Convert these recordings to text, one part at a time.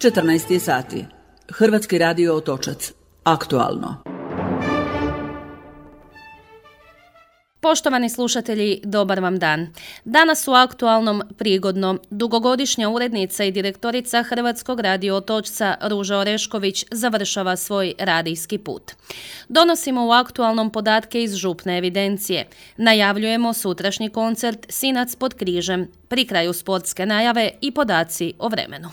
14 sati. Hrvatski radio Otočac. Aktualno. Poštovani slušatelji, dobar vam dan. Danas u Aktualnom prigodno dugogodišnja urednica i direktorica Hrvatskog radio Otočca Ruža Orešković završava svoj radijski put. Donosimo u Aktualnom podatke iz župne evidencije. Najavljujemo sutrašnji koncert Sinac pod križem, pri kraju sportske najave i podaci o vremenu.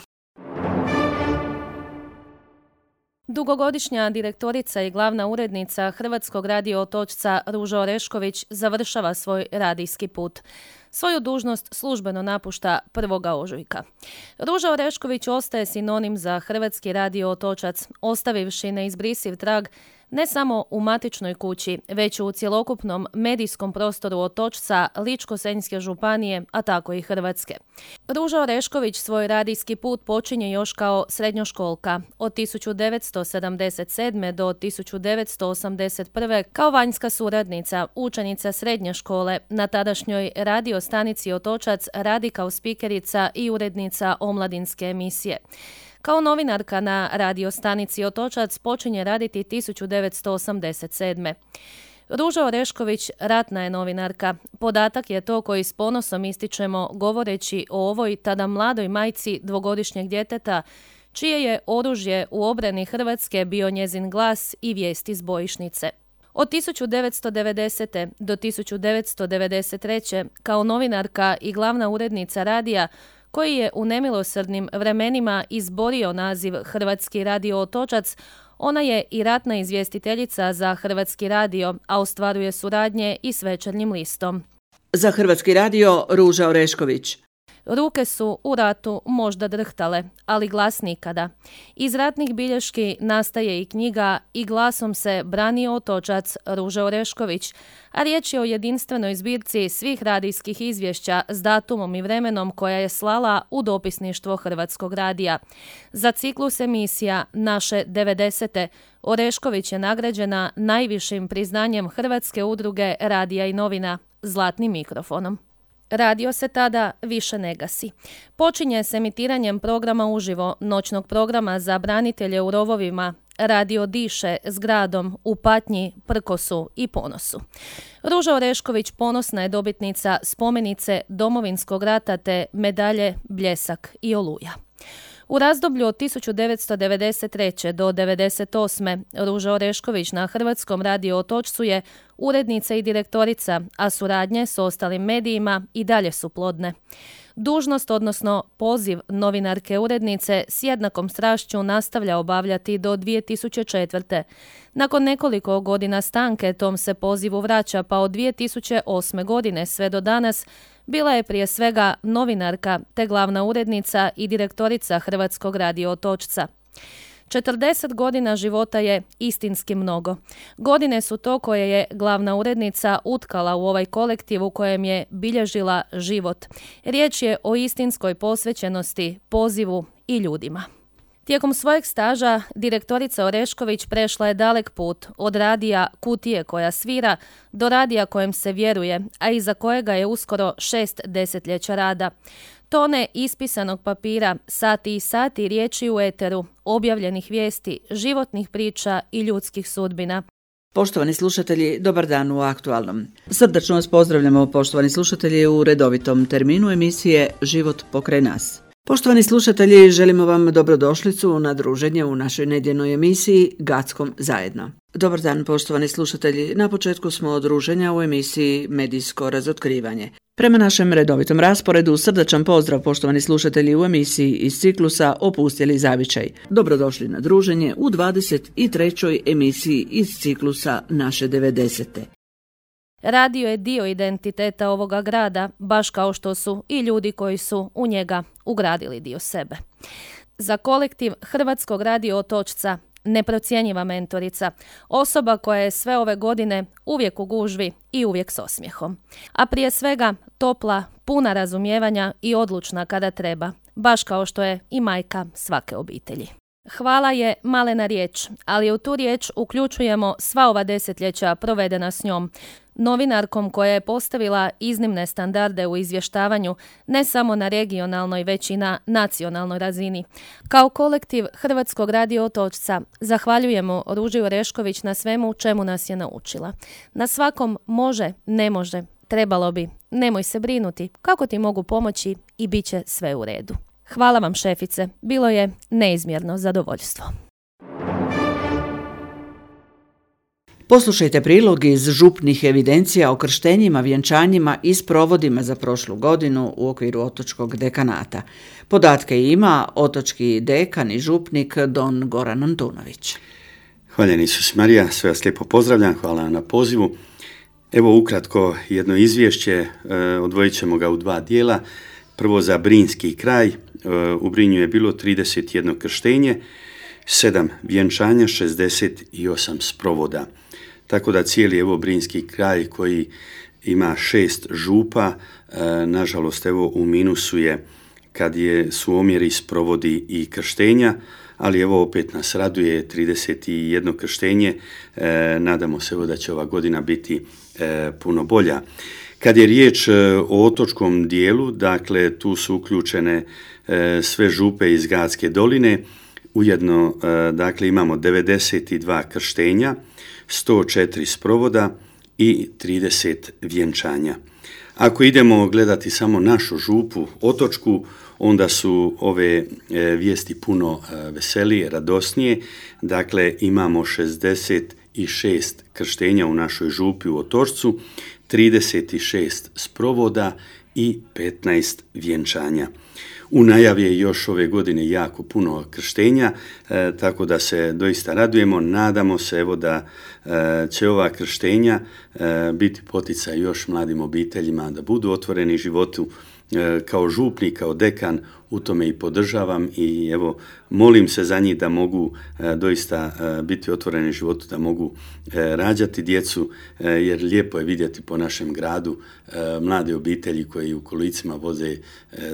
Dugogodišnja direktorica i glavna urednica Hrvatskog radio Otočca Ruža Orešković završava svoj radijski put. Svoju dužnost službeno napušta 1. ožujka. Ruža Orešković ostaje sinonim za Hrvatski radio Otočac, ostavivši neizbrisiv trag ne samo u matičnoj kući, već u cjelokupnom medijskom prostoru Otočca, Ličko-senjske županije, a tako i Hrvatske. Ruža Orešković svoj radijski put počinje još kao srednjoškolka, od 1977. do 1981. kao vanjska suradnica, učenica srednje škole, na tadašnjoj radio stanici Otočac radi kao spikerica i urednica omladinske emisije. Kao novinarka na radio stanici Otočac počinje raditi 1987. Ruža Orešković ratna je novinarka. Podatak je to koji s ponosom ističemo govoreći o ovoj tada mladoj majci dvogodišnjeg djeteta, čije je oružje u obrani Hrvatske bio njezin glas i vijesti s bojišnice. Od 1990. do 1993. kao novinarka i glavna urednica radija, koji je u nemilosrdnim vremenima izborio naziv Hrvatski radio Otočac, ona je i ratna izvjestiteljica za Hrvatski radio, a ostvaruje suradnje i s Večernjim listom. Za Hrvatski radio Ruža Orešković. Ruke su u ratu možda drhtale, ali glas nikada. Iz ratnih bilješki nastaje i knjiga I glasom se branio Otočac Ruža Orešković, a riječ je o jedinstvenoj zbirci svih radijskih izvješća s datumom i vremenom koja je slala u dopisništvo Hrvatskog radija. Za ciklus emisija Naše 90. Orešković je nagrađena najvišim priznanjem Hrvatske udruge radija i novina, Zlatnim mikrofonom. Radio se tada više ne gasi. Počinje s emitiranjem programa uživo, noćnog programa za branitelje u rovovima. Radio diše s gradom u patnji, prkosu i ponosu. Ruža Orešković ponosna je dobitnica spomenice Domovinskog rata te medalje Bljesak i Oluja. U razdoblju od 1993. do 1998. Ruža Orešković na Hrvatskom radio Otočcu je urednica i direktorica, a suradnje s ostalim medijima i dalje su plodne. Dužnost, odnosno poziv novinarke urednice s jednakom strašću nastavlja obavljati do 2004. Nakon nekoliko godina stanke tom se pozivu vraća, pa od 2008. godine sve do danas bila je prije svega novinarka te glavna urednica i direktorica Hrvatskog radio Otočca. 40 godina života je istinski mnogo. Godine su to koje je glavna urednica utkala u ovaj kolektiv u kojem je bilježila život. Riječ je o istinskoj posvećenosti, pozivu i ljudima. Tijekom svojeg staža direktorica Orešković prešla je dalek put od radija Kutije koja svira do radija kojem se vjeruje, a iza kojega je uskoro 6 desetljeća rada. Tone ispisanog papira, sati i sati riječi u eteru, objavljenih vijesti, životnih priča i ljudskih sudbina. Poštovani slušatelji, dobar dan u Aktualnom. Srdačno vas pozdravljamo, poštovani slušatelji, u redovitom terminu emisije Život pokraj nas. Poštovani slušatelji, želimo vam dobrodošlicu na druženje u našoj nedjeljnoj emisiji Gackom zajedno. Dobar dan, poštovani slušatelji. Na početku smo druženja u emisiji Medijsko razotkrivanje. Prema našem redovitom rasporedu, srdačan pozdrav, poštovani slušatelji, u emisiji iz ciklusa Opustjeli zavičaj. Dobrodošli na druženje u 23. emisiji iz ciklusa Naše 90. Radio je dio identiteta ovoga grada, baš kao što su i ljudi koji su u njega ugradili dio sebe. Za kolektiv Hrvatskog radio Otočca neprocjenjiva mentorica, osoba koja je sve ove godine uvijek u gužvi i uvijek s osmijehom. A prije svega topla, puna razumijevanja i odlučna kada treba, baš kao što je i majka svake obitelji. Hvala je malena riječ, ali u tu riječ uključujemo sva ova desetljeća provedena s njom. Novinarkom koja je postavila iznimne standarde u izvještavanju ne samo na regionalnoj, već i na nacionalnoj razini. Kao kolektiv Hrvatskog radio Otočca zahvaljujemo Ruži Orešković na svemu čemu nas je naučila. Na svakom može, ne može, trebalo bi, nemoj se brinuti, kako ti mogu pomoći i bit će sve u redu. Hvala vam, šefice, bilo je neizmjerno zadovoljstvo. Poslušajte prilog iz župnih evidencija o krštenjima, vjenčanjima i sprovodima za prošlu godinu u okviru Otočkog dekanata. Podatke ima otočki dekan i župnik Don Goran Antunović. Hvaljen Isus Marija, sve vas lijepo pozdravljam, hvala na pozivu. Evo ukratko jedno izvješće, odvojit ćemo ga u dva dijela. Prvo za Brinski kraj, u Brinju je bilo 31 krštenje, 7 vjenčanja, 68 sprovoda. Tako da cijeli evo Brinski kraj koji ima 6 župa, nažalost evo u minusu je kad su omjeri sprovodi i krštenja, ali evo opet nas raduje 31 krštenje, nadamo se evo da će ova godina biti puno bolja. Kad je riječ o otočkom dijelu, dakle tu su uključene sve župe iz Gatske doline, ujedno dakle imamo 92 krštenja, 104 sprovoda i 30 vjenčanja. Ako idemo gledati samo našu župu otočku, onda su ove vijesti puno veselije, radosnije. Dakle, imamo 66 krštenja u našoj župi u Otočcu, 36 sprovoda i 15 vjenčanja. U najavi je još ove godine jako puno krštenja, tako da se doista radujemo. Nadamo se evo da će ova krštenja biti poticaj još mladim obiteljima da budu otvoreni životu. Kao župnik, kao dekan u tome i podržavam i evo molim se za njih da mogu doista biti otvoreni životu, da mogu rađati djecu, jer lijepo je vidjeti po našem gradu mlade obitelji koji u kolicima voze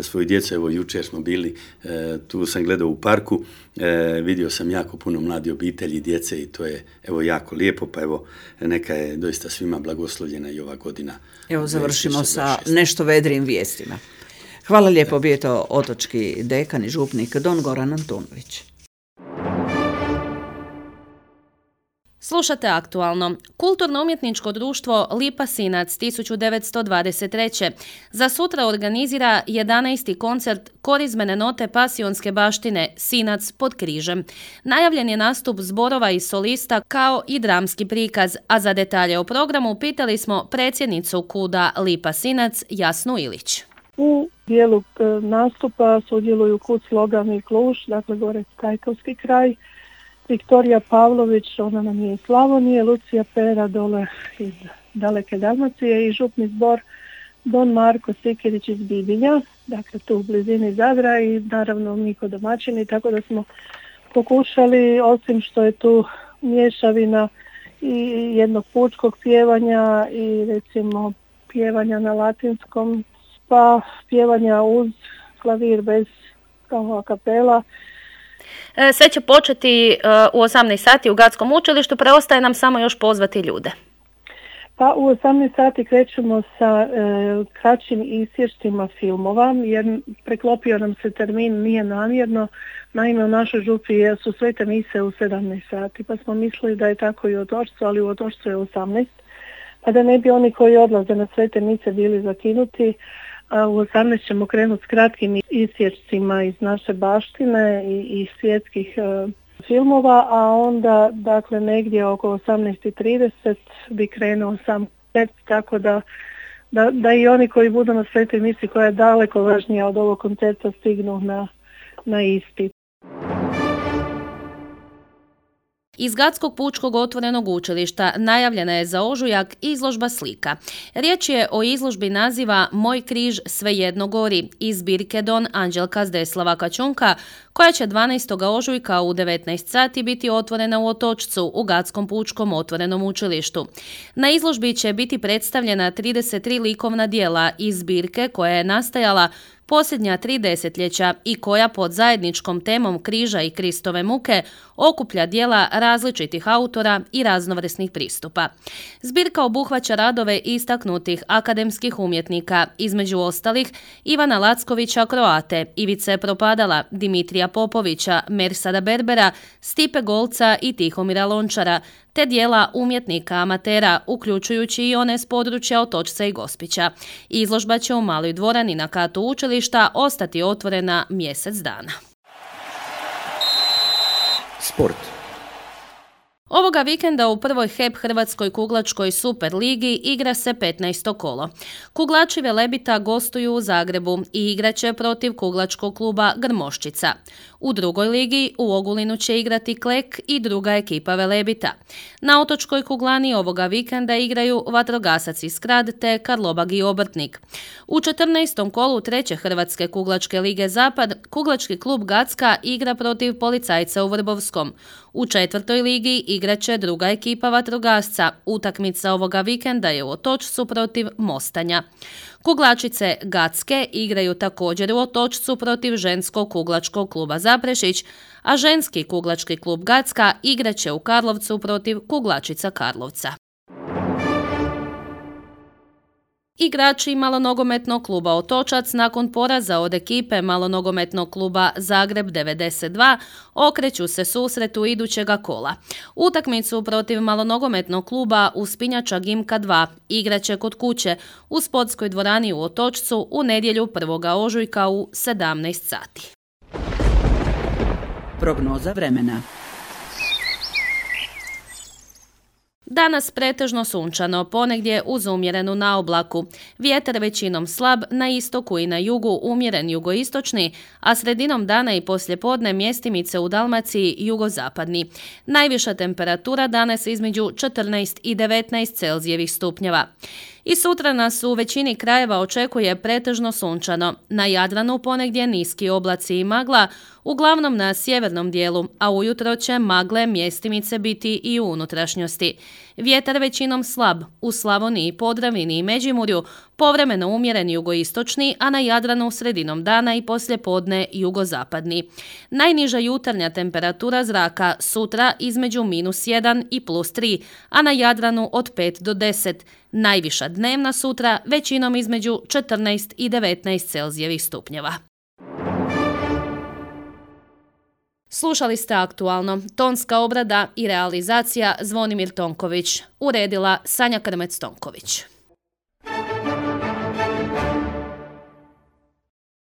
svoju djecu. Evo jučer smo bili, tu sam gledao u parku, vidio sam jako puno mlade obitelji, djece i to je evo jako lijepo, pa evo neka je doista svima blagoslovljena i ova godina. Evo završimo sa nešto vedrijim vijestima. Hvala lijepo, bio je to otočki dekan i župnik Don Goran Antunović. Slušate aktualno. Kulturno-umjetničko društvo Lipa Sinac 1923. za sutra organizira 11. koncert korizmene note pasionske baštine Sinac pod križem. Najavljen je nastup zborova i solista kao i dramski prikaz, a za detalje o programu pitali smo predsjednicu KUD-a Lipa Sinac Jasnu Ilić. U dijelu nastupa sudjeluju KUD Slogan i Kluž, dakle gore Kajkavski kraj, Viktorija Pavlović, ona nam je iz Slavonije, Lucija Pera dole iz daleke Dalmacije i župni zbor Don Marko Sikirić iz Bibinja, dakle tu u blizini Zadra i naravno mi ko domaćini, tako da smo pokušali, osim što je tu mješavina i jednog pučkog pjevanja i recimo pjevanja na latinskom, pa pjevanja uz klavir bez kao a kapela. Sve će početi u 18 sati u Gatskom učilištu, preostaje nam samo još pozvati ljude. Pa u 18 sati krećemo sa kraćim isječcima filmova, jer preklopio nam se termin, nije namjerno. Naime, u našoj župi su svete mise u 17 sati, pa smo mislili da je tako i u Otočcu, ali u Otočcu je 18. Pa da ne bi oni koji odlaze na svete mise bili zakinuti, a u 18 ćemo krenuti s kratkim isječcima iz naše baštine i svjetskih filmova, a onda dakle negdje oko 18:30 bi krenuo sam koncert, tako da i oni koji budu na svetoj misi koja je daleko važnija od ovog koncerta stignu na isti. Iz Gatskog pučkog otvorenog učilišta najavljena je za ožujak izložba slika. Riječ je o izložbi naziva Moj križ svejedno gori iz zbirke Don Anđelka Zdeslava Kačunka, koja će 12. ožujka u 19 sati biti otvorena u Otočcu u Gatskom pučkom otvorenom učilištu. Na izložbi će biti predstavljena 33 likovna djela iz zbirke koja je nastajala posljednja 3 desetljeća i koja pod zajedničkom temom križa i Kristove muke okuplja djela različitih autora i raznovrsnih pristupa. Zbirka obuhvaća radove istaknutih akademskih umjetnika, između ostalih Ivana Lackovića Kroate, Ivice Propadala, Dimitrija Popovića, Mersada Berbera, Stipe Golca i Tihomira Lončara, te dijela umjetnika amatera, uključujući i one s područja Otočca i Gospića. Izložba će u Maloj dvorani na katu učilišta ostati otvorena mjesec dana. Sport. Ovoga vikenda u prvoj HEP Hrvatskoj kuglačkoj Super ligi igra se 15. kolo. Kuglači Velebita gostuju u Zagrebu i igraće protiv kuglačkog kluba Grmoščica. U drugoj ligi u Ogulinu će igrati Klek i druga ekipa Velebita. Na otočkoj kuglani ovoga vikenda igraju Vatrogasac iz Skrad te Karlobag i Obrtnik. U 14. kolu treće Hrvatske kuglačke lige Zapad kuglački klub Gacka igra protiv Policajca u Vrbovskom. U četvrtoj ligi igraće druga ekipa Vatrogasca. Utakmica ovoga vikenda je u Otočcu protiv Mostanja. Kuglačice Gacke igraju također u Otočcu protiv ženskog kuglačkog kluba Zaprešić, a ženski kuglački klub Gacka igraće u Karlovcu protiv kuglačica Karlovca. Igrači malonogometnog kluba Otočac nakon poraza od ekipe malonogometnog kluba Zagreb 92 okreću se susretu idućega kola. Utakmicu protiv malonogometnog kluba Uspinjača Gimka 2 igraće kod kuće u sportskoj dvorani u Otočcu u nedjelju 1. ožujka u 17 sati. Prognoza vremena. Danas pretežno sunčano, ponegdje uz umjerenu naoblaku. Vjetar većinom slab, na istoku i na jugu umjeren jugoistočni, a sredinom dana i poslijepodne mjestimice u Dalmaciji jugozapadni. Najviša temperatura danas između 14 i 19 Celzijevih stupnjeva. I sutra nas u većini krajeva očekuje pretežno sunčano. Na Jadranu ponegdje niski oblaci i magla, uglavnom na sjevernom dijelu, a ujutro će magle mjestimice biti i u unutrašnjosti. Vjetar većinom slab, u Slavoniji, Podravini i Međimurju povremeno umjeren jugoistočni, a na Jadranu sredinom dana i poslijepodne jugozapadni. Najniža jutarnja temperatura zraka sutra između -1 i +3, a na Jadranu od 5 do 10. Najviša dnevna sutra većinom između 14 i 19 Celzijevih stupnjeva. Slušali ste Aktualno. Tonska obrada i realizacija Zvonimir Tonković. Uredila Sanja Krmec-Tonković.